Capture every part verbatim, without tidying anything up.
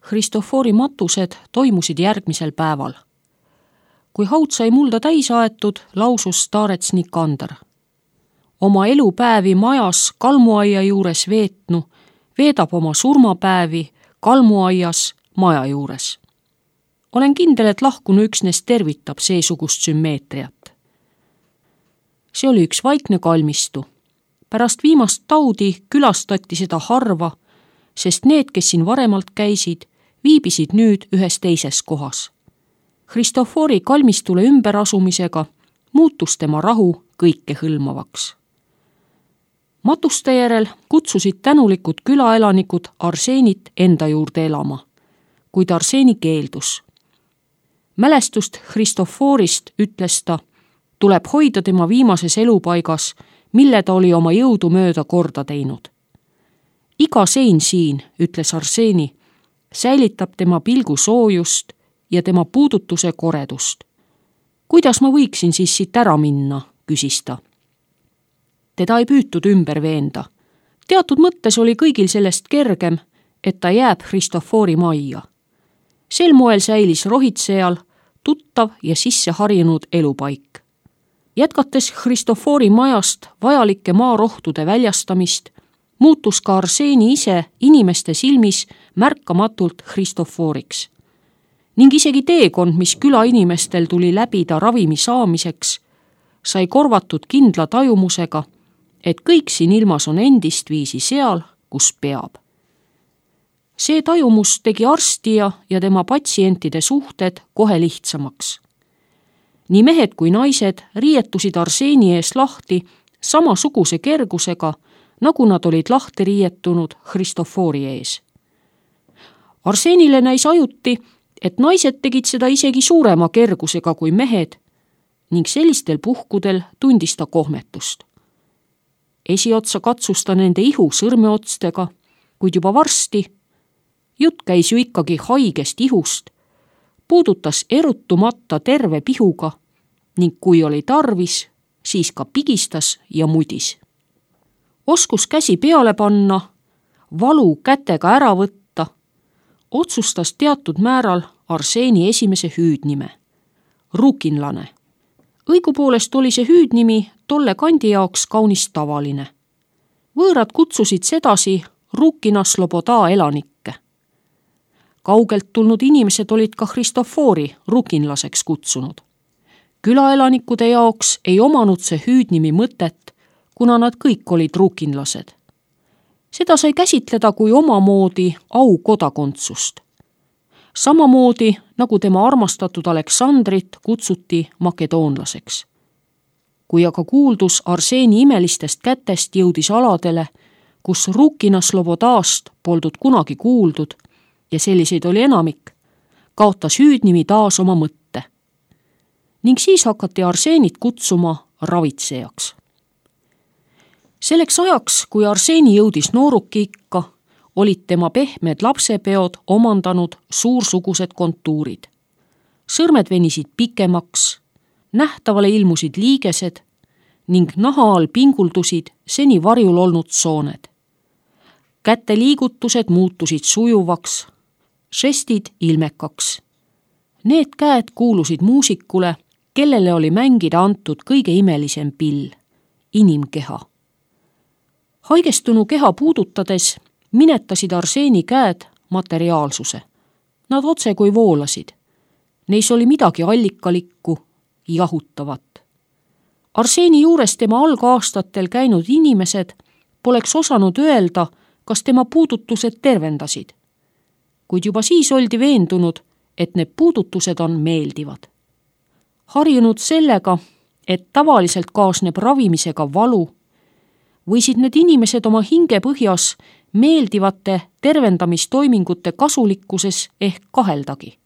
Christofori matused toimusid järgmisel päeval. Kui haud sai mulda täis aetud, lausus staarets Nikander. Oma elupäevi majas kalmuaia juures veetnu, veedab oma surmapäevi kalmuaias maja juures. Olen kindel, et lahkunu üksnes tervitab seesugust sümmeetriat. See oli üks vaikne kalmistu. Pärast viimast taudi külastati seda harva, sest need, kes siin varemalt käisid, viibisid nüüd ühes teises kohas. Christofori kalmistule ümberasumisega muutus tema rahu kõikehõlmavaks. Matuste järel kutsusid tänulikud külaelanikud Arseenit enda juurde elama, kuid Arseeni keeldus. Mälestust Christoforist, ütles ta, tuleb hoida tema viimases elupaigas, mille ta oli oma jõudu mööda korda teinud. Iga sein siin, ütles Arseeni, säilitab tema pilgu soojust ja tema puudutuse koredust. Kuidas ma võiksin siis siit ära minna, küsis ta. Teda ei püütud ümber veenda. Teatud mõttes oli kõigil sellest kergem, et ta jääb Christofori majja. Sel moel säilis rohitsejal tuttav ja sisse harjunud elupaik. Jätkates Christofori majast vajalike maarohtude väljastamist, muutus ka Arseeni ise inimeste silmis märkamatult Christoforiks. Ning isegi teekond, mis küla inimestel tuli läbida ravimi saamiseks, sai korvatud kindla tajumusega, et kõik siin ilmas on endist viisi seal, kus peab. See tajumus tegi arstija ja tema patsientide suhted kohe lihtsamaks. Nii mehed kui naised riietusid Arseeni ees lahti samasuguse kergusega, nagu nad olid lahti riietunud Christofori ees. Arseenile näis ajuti, et naised tegid seda isegi suurema kergusega kui mehed ning sellistel puhkudel tundis ta kohmetust. Esiotsa katsus ta nende ihu sõrmeotstega, kuid juba varsti, jutt käis ju ikkagi haigest ihust, puudutas erutumata terve pihuga ning kui oli tarvis, siis ka pigistas ja mudis. Oskus käsi peale panna, valu kätega ära võtta, otsustas teatud määral Arseeni esimese hüüdnime, rukinlane. Õigupoolest oli see hüüdnimi tolle kandi jaoks kaunis tavaline. Võõrad kutsusid sedasi Rukina Sloboda elanikke. Kaugelt tulnud inimesed olid ka Christofori rukinlaseks kutsunud. Külaelanikkude jaoks ei omanud see hüüdnimi mõtet, kuna nad kõik olid rukinlased. Seda sai käsitleda kui omamoodi au kodakondsust. Samamoodi, nagu tema armastatud Aleksandrit kutsuti makedoonlaseks. Kui aga kuuldus Arseeni imelistest kätest jõudis aladele, kus Rukina Slobodast poldud kunagi kuuldud, ja selliseid oli enamik, kaotas hüüdnimi taas oma mõtte. Ning siis hakati Arseenit kutsuma ravitsejaks. Selleks ajaks, kui Arseeni jõudis nooruki ikka, olid tema pehmed lapsepeod omandanud suursugused kontuurid. Sõrmed venisid pikemaks, nähtavale ilmusid liigesed ning naha all pinguldusid seni varjul olnud sooned. Käte liigutused muutusid sujuvaks, žestid ilmekaks. Need käed kuulusid muusikule, kellele oli mängida antud kõige imelisem pill, inimkeha. Haigestunu keha puudutades minetasid Arseeni käed materiaalsuse. Nad otse kui voolasid. Neis oli midagi allikalikku, jahutavat. Arseeni juures tema algaastatel käinud inimesed poleks osanud öelda, kas tema puudutused tervendasid. Kuid juba siis oldi veendunud, et need puudutused on meeldivad. Harjunud sellega, et tavaliselt kaasneb ravimisega valu, võisid need inimesed oma hinge põhjas meeldivate tervendamistoimingute kasulikkuses ehk kaheldagi.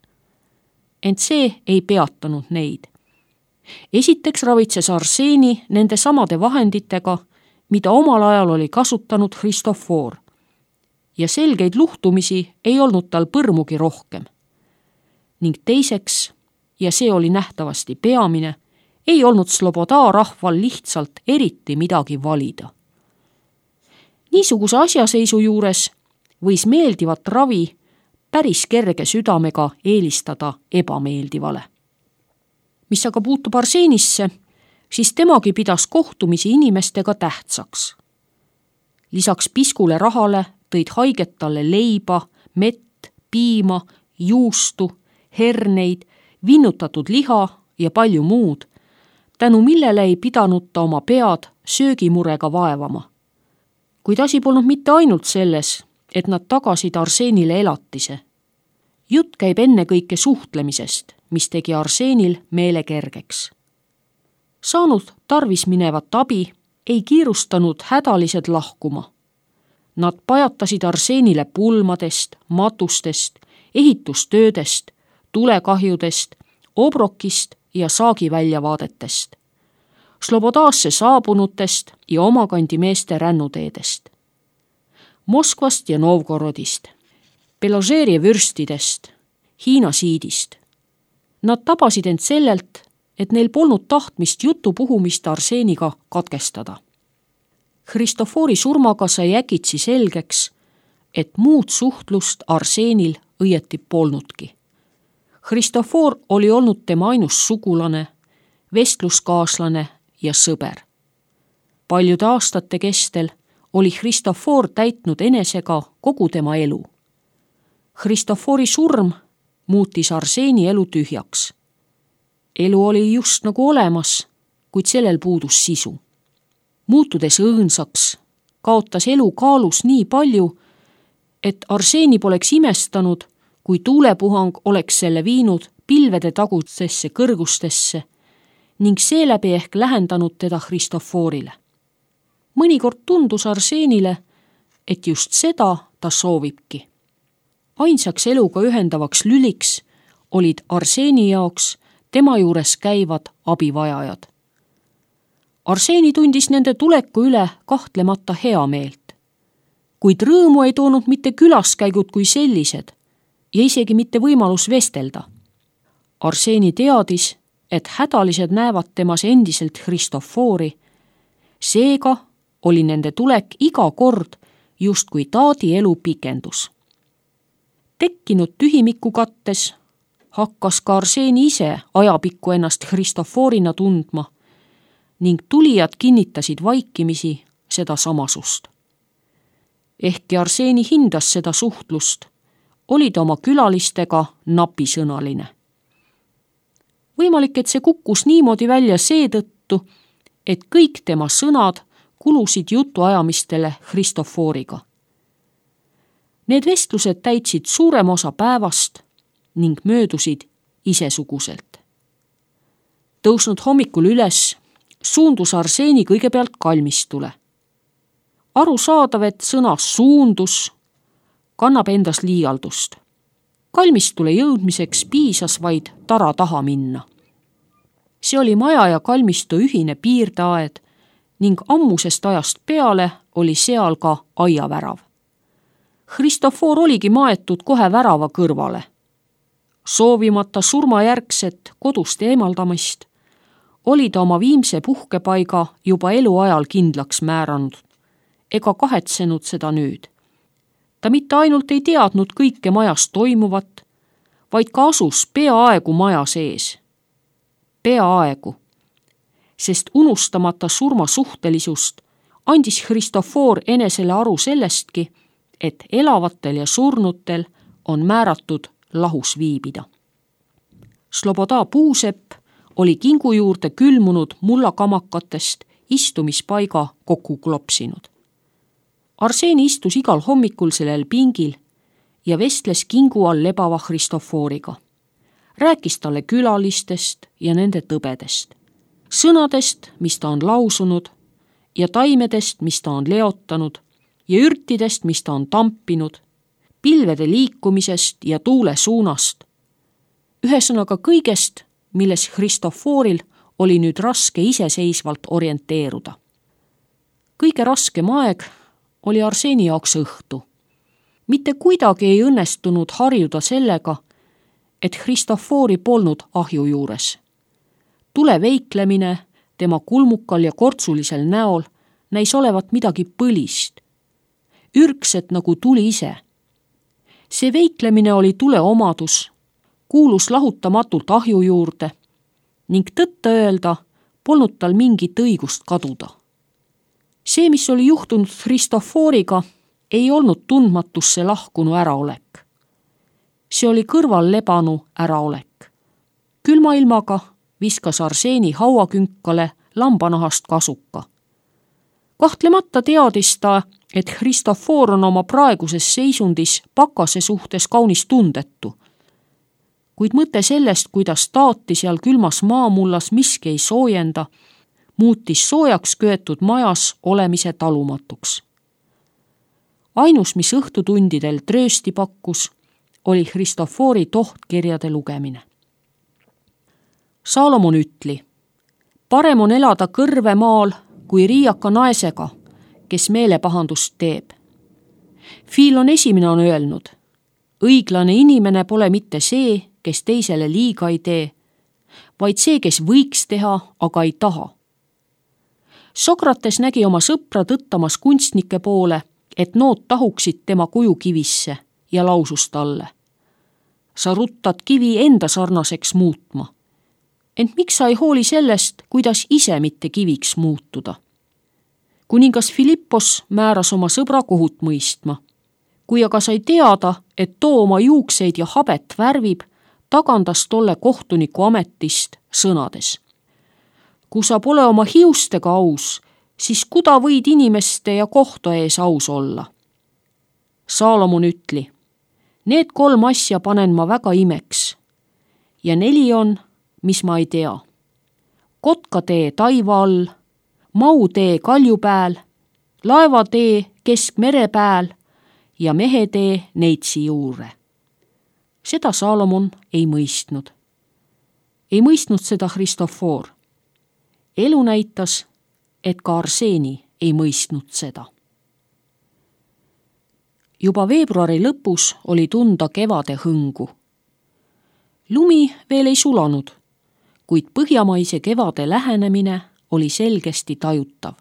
Ent see ei peatanud neid. Esiteks ravitses Arseeni nende samade vahenditega, mida omal ajal oli kasutanud Christofor. Ja selgeid luhtumisi ei olnud tal põrmugi rohkem. Ning teiseks, ja see oli nähtavasti peamine, ei olnud Sloboda rahval lihtsalt eriti midagi valida. Niisuguse asjaseisu juures võis meeldivat ravi päris kerge südamega eelistada ebameeldivale. Mis aga puutub Arseenisse, siis temagi pidas kohtumisi inimestega tähtsaks. Lisaks piskule rahale tõid haiget talle leiba, mett, piima, juustu, herneid, vinnutatud liha ja palju muud, tänu millele ei pidanud ta oma pead söögimurega vaevama. Kuid asi polnud mitte ainult selles, et nad tagasid Arseenile elatise. Jutt käib ennekõike suhtlemisest, mis tegi Arseenil meele kergeks. Saanud tarvis minevat abi, ei kiirustanud hädalised lahkuma. Nad pajatasid Arseenile pulmadest, matustest, ehitustöödest, tulekahjudest, obrokist ja saagiväljavaadetest, Slobodaasse saabunutest ja omakandi meeste rännuteedest, Moskvast ja Novgorodist, Beložeri vürstidest, Hiina siidist. Nad tabasid end sellelt, et neil polnud tahtmist jutu puhumist Arseeniga katkestada. Christofori surmaga sai äkitsi selgeks, et muud suhtlust Arseenil õieti polnudki. Christofor oli olnud tema ainus sugulane, vestluskaaslane ja sõber. Paljude aastate kestel oli Christofor täitnud enesega kogu tema elu. Christofori surm muutis Arseeni elu tühjaks. Elu oli just nagu olemas, kuid sellel puudus sisu. Muutudes õõnsaks, kaotas elu kaalus nii palju, et Arseeni poleks imestanud, kui tuulepuhang oleks selle viinud pilvede tagutsesse kõrgustesse ning seeläbi ehk lähendanud teda Christoforile. Mõnikord tundus Arseenile, et just seda ta soovibki. Ainsaks eluga ühendavaks lüliks olid Arseeni jaoks tema juures käivad abivajajad. Arseeni tundis nende tuleku üle kahtlemata hea meelt, kuid rõõmu ei toonud mitte külaskäigud kui sellised ja isegi mitte võimalus vestelda. Arseeni teadis, et hädalised näevad temas endiselt Christofori, seega oli nende tulek iga kord justkui taadi elu pikendus. Tekkinud tühimiku kattes hakkas ka Arseeni ise ajapikku ennast Christoforina tundma ning tulijad kinnitasid vaikimisi seda samasust. Ehkki Arseeni hindas seda suhtlust, oli ta oma külalistega napisõnaline. Võimalik, et see kukkus niimoodi välja seetõttu, et kõik tema sõnad kulusid jutuajamistele Christoforiga. Need vestlused täitsid suurem osa päevast ning möödusid isesuguselt. Tõusnud hommikul üles, suundus Arseeni kõigepealt kalmistule. Aru saadav, et sõna suundus kannab endas liialdust. Kalmistule jõudmiseks piisas vaid tara taha minna. See oli maja ja kalmistu ühine piirdeaed ning ammusest ajast peale oli seal ka aiavärav. Christofor oligi maetud kohe värava kõrvale. Soovimata surmajärgset kodust eemaldamist, oli ta oma viimse puhkepaiga juba eluajal kindlaks määranud ega kahetsenud seda nüüd. Ta mitte ainult ei teadnud kõike majas toimuvat, vaid ka asus peaaegu maja sees. Peaaegu, sest unustamata surma suhtelisust andis Christofor enesele aru sellestki, et elavatel ja surnutel on määratud lahus viibida. Sloboda puusepp oli kingu juurde külmunud mullakamakatest istumispaiga kokku klopsinud. Arseeni istus igal hommikul sellel pingil ja vestles kingu all lebava Christoforiga. Rääkis talle külalistest ja nende tõbedest, sõnadest, mis ta on lausunud, ja taimedest, mis ta on leotanud, ja ürtidest, mis ta on tampinud, pilvede liikumisest ja tuule suunast. Ühesõnaga kõigest, milles Christoforil oli nüüd raske iseseisvalt orienteeruda. Kõige raskem aeg oli Arseeni jaoks õhtu. Mitte kuidagi ei õnnestunud harjuda sellega, et Christofori polnud ahju juures. Tule veiklemine tema kulmukal ja kortsulisel näol näis olevat midagi põlist, ürgset nagu tuli ise. see veiklemine oli tuleomadus, kuulus lahutamatult ahju juurde ning tõtta öelda polnud tal mingit õigust kaduda. See, mis oli juhtunud Christophoriga, ei olnud tundmatusse lahkunu äraolek. See oli kõrval lebanu äraolek. Külma ilmaga viskas Arseeni hauakünkale lambanahast kasuka. Kahtlemata teadis ta, et Christophor on oma praeguses seisundis pakase suhtes kaunis tundetu. Kuid mõte sellest, kuidas taati seal külmas maamullas miski ei soojenda, muutis soojaks köetud majas olemise talumatuks. Ainus, mis õhtutundidel tröösti pakkus, oli Christophori tohtkirjade lugemine. Salomon ütli, parem on elada kõrvemaal kui riiaka naisega, kes meelepahandust teeb. Fiilon esimene on öelnud, õiglane inimene pole mitte see, kes teisele liiga ei tee, vaid see, kes võiks teha, aga ei taha. Sokrates nägi oma sõpra tõttamas kunstnike poole, et nood tahuksid tema kuju kivisse ja lausus talle. Sa ruttad kivi enda sarnaseks muutma. Ent miks sa ei hooli sellest, kuidas ise mitte kiviks muutuda? Kuningas Filippos määras oma sõbra kohut mõistma. Kui aga sai teada, et too oma juukseid ja habet värvib, tagandas tolle kohtuniku ametist sõnades. Kui sa pole oma hiustega aus, siis kuda võid inimeste ja kohta ees aus olla? Salomon ütli, need kolm asja panen ma väga imeks. Ja neli on, mis ma ei tea. Kotkatee taiva all, mautee kalju pääl, laevatee kesk mere pääl ja mehetee neitsi juure. Seda Salomon ei mõistnud. Ei mõistnud seda Christophor. Elu näitas, et ka Arseeni ei mõistnud seda. Juba veebruari lõpus oli tunda kevade hõngu. Lumi veel ei sulanud, kuid põhjamaise kevade lähenemine oli selgesti tajutav.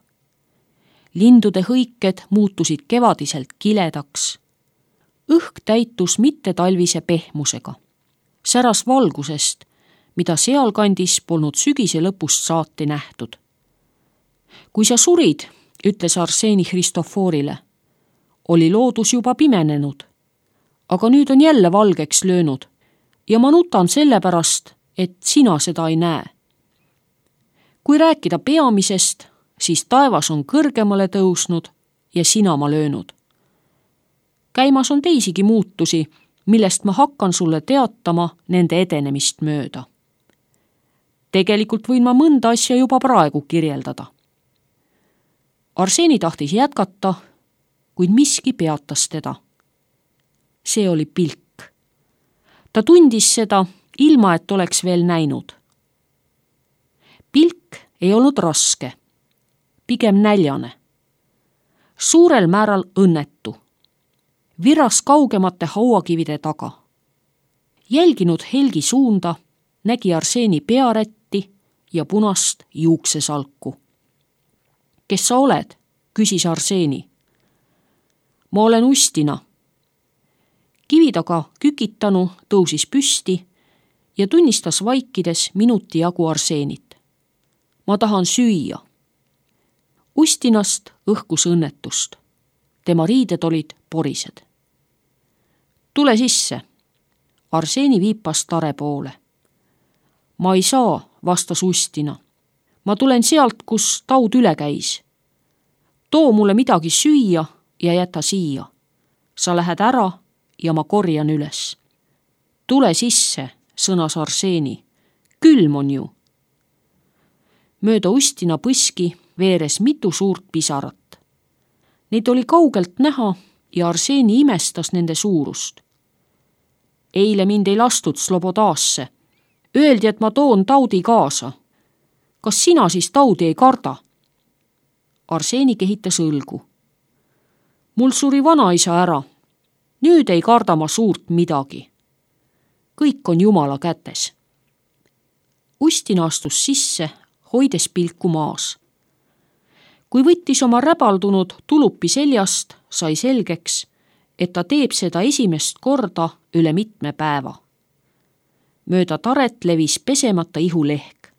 Lindude hõiked muutusid kevadiselt kiledaks. Õhk täitus mitte talvise pehmusega. Säras valgusest, mida sealkandis polnud sügise lõpust saati nähtud. Kui sa surid, ütles Arseeni Christophorile, oli loodus juba pimenenud, aga nüüd on jälle valgeks löönud ja ma nutan sellepärast, et sina seda ei näe. Kui rääkida peamisest, siis taevas on kõrgemale tõusnud ja sinama löönud. Käimas on teisigi muutusi, millest ma hakkan sulle teatama nende edenemist mööda. Tegelikult võin ma mõnda asja juba praegu kirjeldada. Arseeni tahtis jätkata, kuid miski peatas teda. See oli pilk. Ta tundis seda, ilma et oleks veel näinud. Pilk ei olnud raske, pigem näljane. Suurel määral õnnetu. Viras kaugemate hauakivide taga. Jälginud helgi suunda, nägi Arseeni pearätti ja punast juuksesalku. Kes sa oled? Küsis Arseeni. Ma olen Ustina. Kivitaga kükitanu tõusis püsti ja tunnistas vaikides minuti jagu Arseenit. Ma tahan süüa. Ustinast õhkus õnnetust. Tema riided olid porised. Tule sisse. Arseeni viipas tare poole. Ma ei saa, vastas Ustina. Ma tulen sealt, kus taud üle käis. Too mulle midagi süüa ja jäta siia. Sa lähed ära ja ma korjan üles. Tule sisse, sõnas Arseeni. Külm on ju. Mööda Ustina põski veeres mitu suurt pisarat. Neid oli kaugelt näha ja Arseeni imestas nende suurust. Eile mind ei lastud Slobodaasse. Öeldi, et ma toon taudi kaasa. Kas sina siis taudi ei karda? Arseeni kehitas õlgu. Mul suri vanaisa ära. Nüüd ei karda ma suurt midagi. Kõik on Jumala kätes. Ustina astus sisse, hoides pilku maas. Kui võttis oma räbaldunud tulupi seljast, sai selgeks, et ta teeb seda esimest korda üle mitme päeva. Mööda taret levis pesemata ihulehk,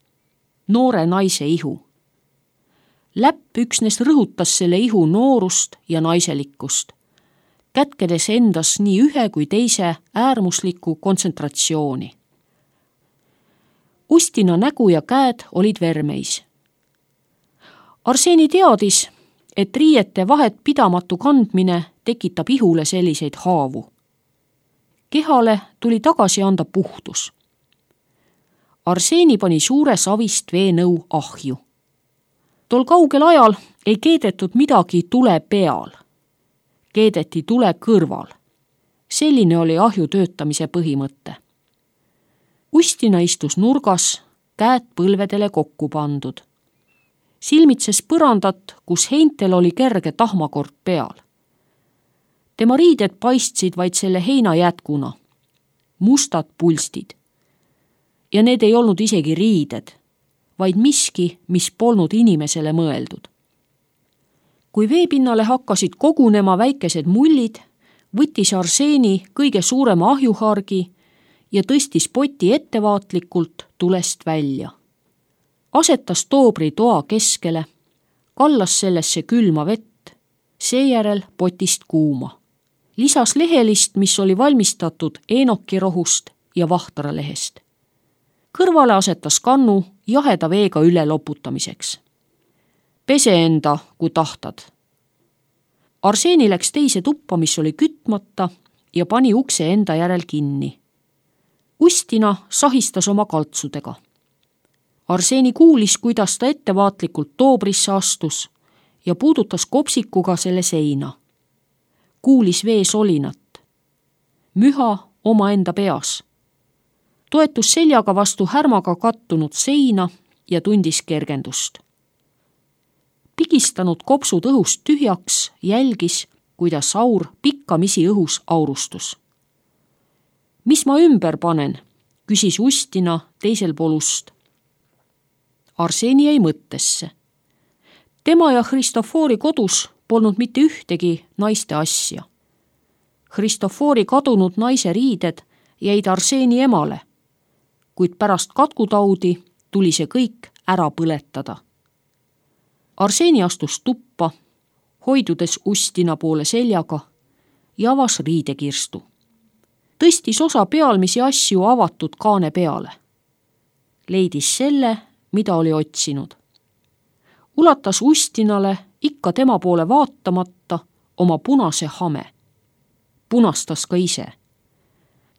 noore naise ihu. Läpp üksnes rõhutas selle ihu noorust ja naiselikkust, kätkedes endas nii ühe kui teise äärmuslikku kontsentratsiooni. Ustina nägu ja käed olid vermeis. Arseni teadis, et riiete vahet pidamatu kandmine tekitab ihule selliseid haavu. Kehale tuli tagasi anda puhtus. Arseni pani suure savist veenõu ahju. Tol kaugel ajal ei keedetud midagi tule peal. Keedeti tule kõrval. Selline oli ahju töötamise põhimõte. Ustina istus nurgas, käed põlvedele kokku pandud. Silmitses põrandat, kus heintel oli kerge tahmakord peal. Tema riided paistsid vaid selle heina jätkuna. Mustad pulstid. Ja need ei olnud isegi riided, vaid miski, mis polnud inimesele mõeldud. Kui veepinnale hakkasid kogunema väikesed mullid, võttis Arseni kõige suurema ahjuhargi ja tõstis poti ettevaatlikult tulest välja. Asetas toobri toa keskele, kallas sellesse külma vett, seejärel potist kuuma. Lisas lehelist, mis oli valmistatud eenokirohust ja vahtralehest. Kõrvale asetas kannu jaheda veega üle loputamiseks. Pese enda, kui tahtad. Arseni läks teise tuppa, mis oli kütmata ja pani ukse enda järel kinni. Ustina sahistas oma kaltsudega. Arseni kuulis, kuidas ta ettevaatlikult toobrisse astus ja puudutas kopsikuga selle seina. Kuulis vee solinat. Müha omaenda peas. Toetus seljaga vastu härmaga kattunud seina ja tundis kergendust. Pigistanud kopsud õhust tühjaks, jälgis, kuidas aur pikkamisi õhus aurustus. Mis ma ümber panen, küsis Ustina teisel pool ust. Arseni jäi mõttesse. Tema ja Christofori kodus polnud mitte ühtegi naiste asja. Christofori kadunud naise riided jäid Arseni emale, kuid pärast katkutaudi tuli see kõik ära põletada. Arseni astus tuppa, hoidudes Ustina poole seljaga ja avas riidekirstu. Tõstis osa pealmisi asju avatud kaane peale. Leidis selle, mida oli otsinud. Ulatas Ustinale ikka tema poole vaatamata oma punase hame. Punastas ka ise.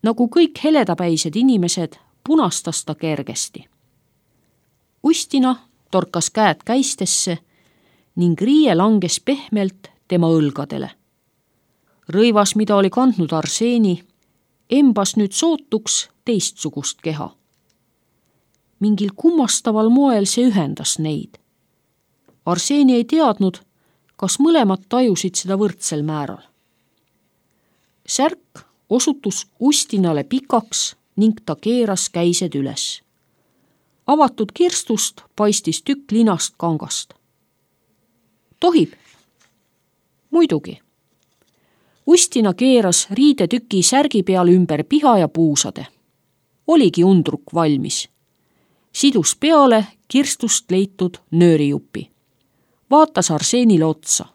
Nagu kõik heledapäised inimesed, punastas ta kergesti. Ustina torkas käed käistesse ning riie langes pehmelt tema õlgadele. Rõivas, mida oli kandnud Arseni, embas nüüd sootuks teistsugust keha. Mingil kummastaval moel see ühendas neid. Arseni ei teadnud, kas mõlemad tajusid seda võrdsel määral. Särk osutus Ustinale pikaks ning ta keeras käised üles. Avatud kirstust paistis tükk linast kangast. Tohib? Muidugi. Ustina keeras riidetüki särgi peal ümber piha ja puusade. Oligi undruk valmis. Sidus peale kirstust leitud nöörijupi. Vaatas Arsenile otsa.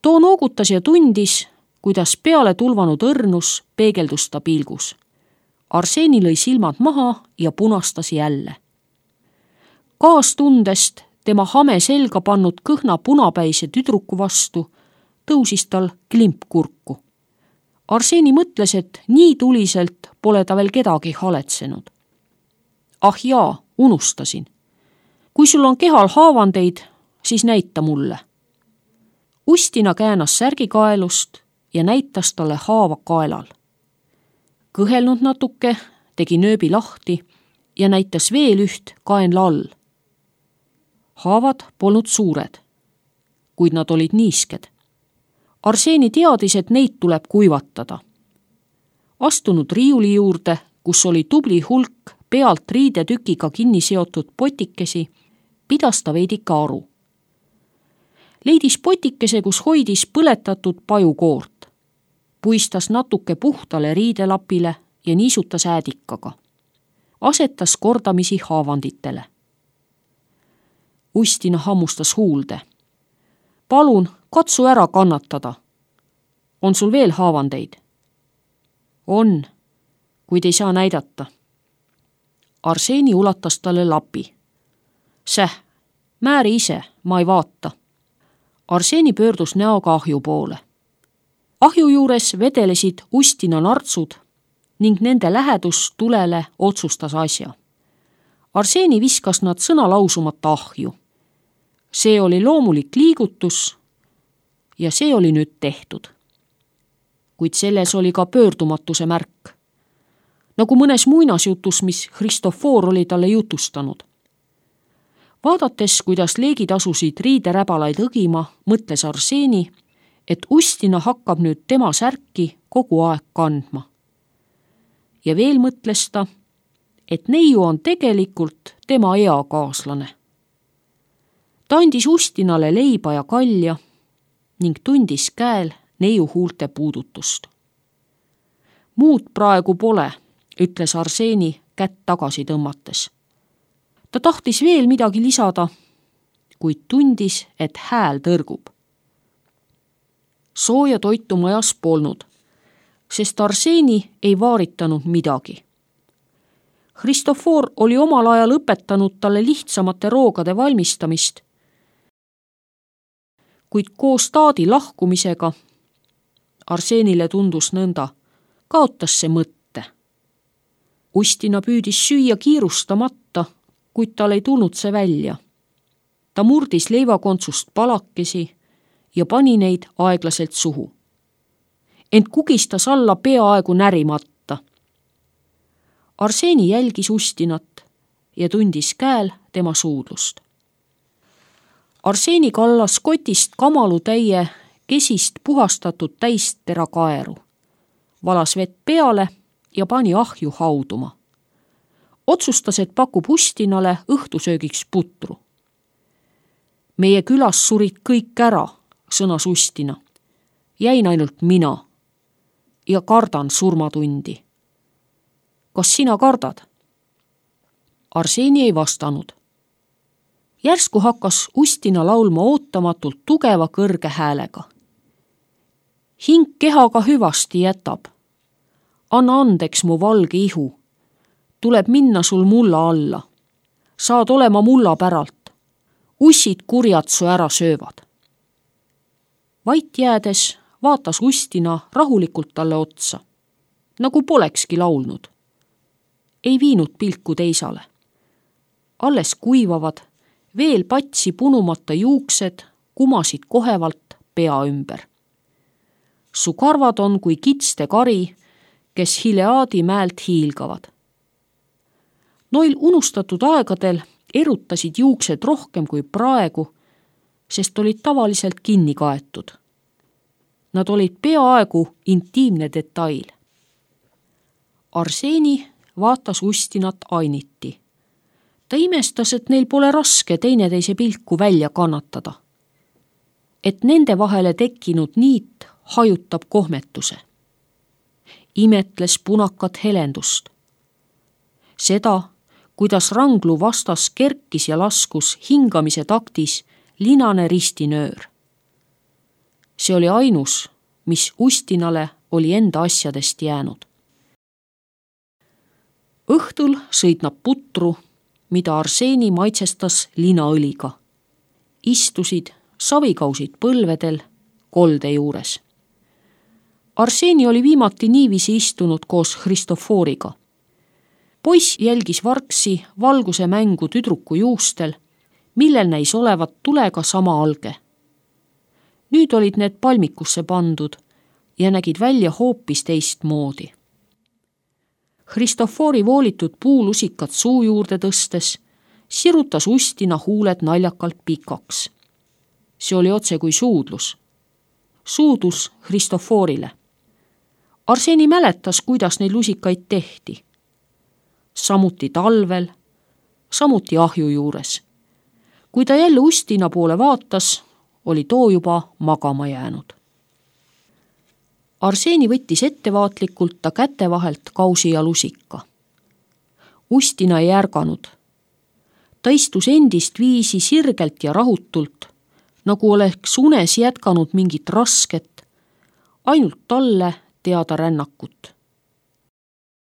Too noogutas ja tundis, kuidas peale tulvanud õrnus peegeldus ta pilgus. Arseni lõi silmad maha ja punastas jälle. Kaastundest tema hame selga pannud kõhna punapäise tüdruku vastu tõusis tal klimp kurku. Arseni mõtles, et nii tuliselt pole ta veel kedagi haletsenud. Ah jaa, unustasin. Kui sul on kehal haavandeid, siis näita mulle. Ustina käänas särgikaelust ja näitas talle haava kaelal. Kõhelnud natuke, tegi nööbi lahti ja näitas veel üht kaenla all. Haavad polnud suured, kuid nad olid niisked. Arseni teadis, et neid tuleb kuivatada. Astunud riiuli juurde, kus oli tubli hulk pealt riidetükiga kinni seotud potikesi, pidas ta veidika aru. Leidis potikese, kus hoidis põletatud pajukoort. puistas natuke puhtale riidelapile ja niisutas äädikaga. Asetas kordamisi haavanditele. Ustina hammustas huulde. Palun, katsu ära kannatada. On sul veel haavandeid? On, kuid ei saa näidata. Arseni ulatas talle lapi. Säh, määri ise, ma ei vaata. Arseni pöördus näoga ahju poole. Ahju juures vedelesid Ustina nartsud ning nende lähedus tulele otsustas asja. Arseni viskas nad sõna lausumata ahju. See oli loomulik liigutus ja see oli nüüd tehtud. Kuid selles oli ka pöördumatuse märk. Nagu mõnes muinasjutus, mis Christofor oli talle jutustanud. Vaadates, kuidas leegid asusid riideräbalaid õgima, mõtles Arseni, et Ustina hakkab nüüd tema särki kogu aeg kandma. Ja veel mõtles ta, et neiu on tegelikult tema eakaaslane. Ta andis Ustinale leiba ja kalja ning tundis käel neiu huulte puudutust. Muud praegu pole, ütles Arseni kätt tagasi tõmmates. Ta tahtis veel midagi lisada, kuid tundis, et hääl tõrgub. Sooja toitu majas polnud, sest Arseni ei vaaritanud midagi. Christofor oli omal ajal õpetanud talle lihtsamate roogade valmistamist, kuid koos taadi lahkumisega Arsenile tundus nõnda, kaotas see mõtte. Ustina püüdis süüa kiirustamata, kuid tal ei tulnud see välja. Ta murdis leivakontsust palakesi ja pani neid aeglaselt suhu. Ent kugistas alla peaaegu närimata. Arseni jälgis Ustinat ja tundis käel tema suudlust. Arseni kallas kotist kamalutäie kesist puhastatud täistera kaeru, valas vett peale ja pani ahju hauduma. Otsustas, et pakub Ustinale õhtusöögiks putru. Meie külas surid kõik ära, sõnas Ustina. Jäin ainult mina ja kardan surmatundi. Kas sina kardad? Arseni ei vastanud. Järsku hakkas Ustina laulma ootamatult tugeva kõrge häälega. Hing kehaga hüvasti jätab. Anna andeks mu valge ihu. Tuleb minna sul mulla alla. Saad olema mulla päralt. Ussid kurjad su ära söövad. Vait jäädes vaatas Ustina rahulikult talle otsa, nagu polekski laulnud. Ei viinud pilku teisale. Alles kuivavad, veel patsi punumata juuksed kumasid kohevalt pea ümber. Su karvad on kui kitste kari, kes Hileaadi mäelt hiilgavad. Noil unustatud aegadel erutasid juuksed rohkem kui praegu, sest olid tavaliselt kinni kaetud. Nad olid peaaegu intiimne detail. Arseni vaatas Ustinat ainiti. Ta imestas, et neil pole raske teineteise pilku välja kannatada. Et nende vahele tekkinud niit hajutab kohmetuse. Imetles punakat helendust. Seda, kuidas ranglu vastas kerkis ja laskus hingamise taktis linane ristinöör. See oli ainus, mis Ustinale oli enda asjadest jäänud. Õhtul sõid nad putru, mida Arseni maitsestas linaõliga. Istusid, savikausid põlvedel, kolde juures. Arseni oli viimati niiviisi istunud koos Christoforiga. Poiss jälgis vargsi valguse mängu tüdruku juustel, millel näis olevat tulega sama alge. Nüüd olid need palmikusse pandud ja nägid välja hoopis teist moodi. Christofori voolitud puulusikat suu juurde tõstes sirutas Ustina huuled naljakalt pikaks. See oli otse kui suudlus. Suudlus Christoforile. Arseni mäletas, kuidas neid lusikaid tehti. Samuti talvel, samuti ahju juures. Kui ta jälle Ustina poole vaatas, oli too juba magama jäänud. Arseni võttis ettevaatlikult ta käte vahelt kausi ja lusika. Ustina ei ärganud. Ta istus endist viisi sirgelt ja rahutult, nagu oleks unes jätkanud mingit rasket, ainult talle teada rännakut.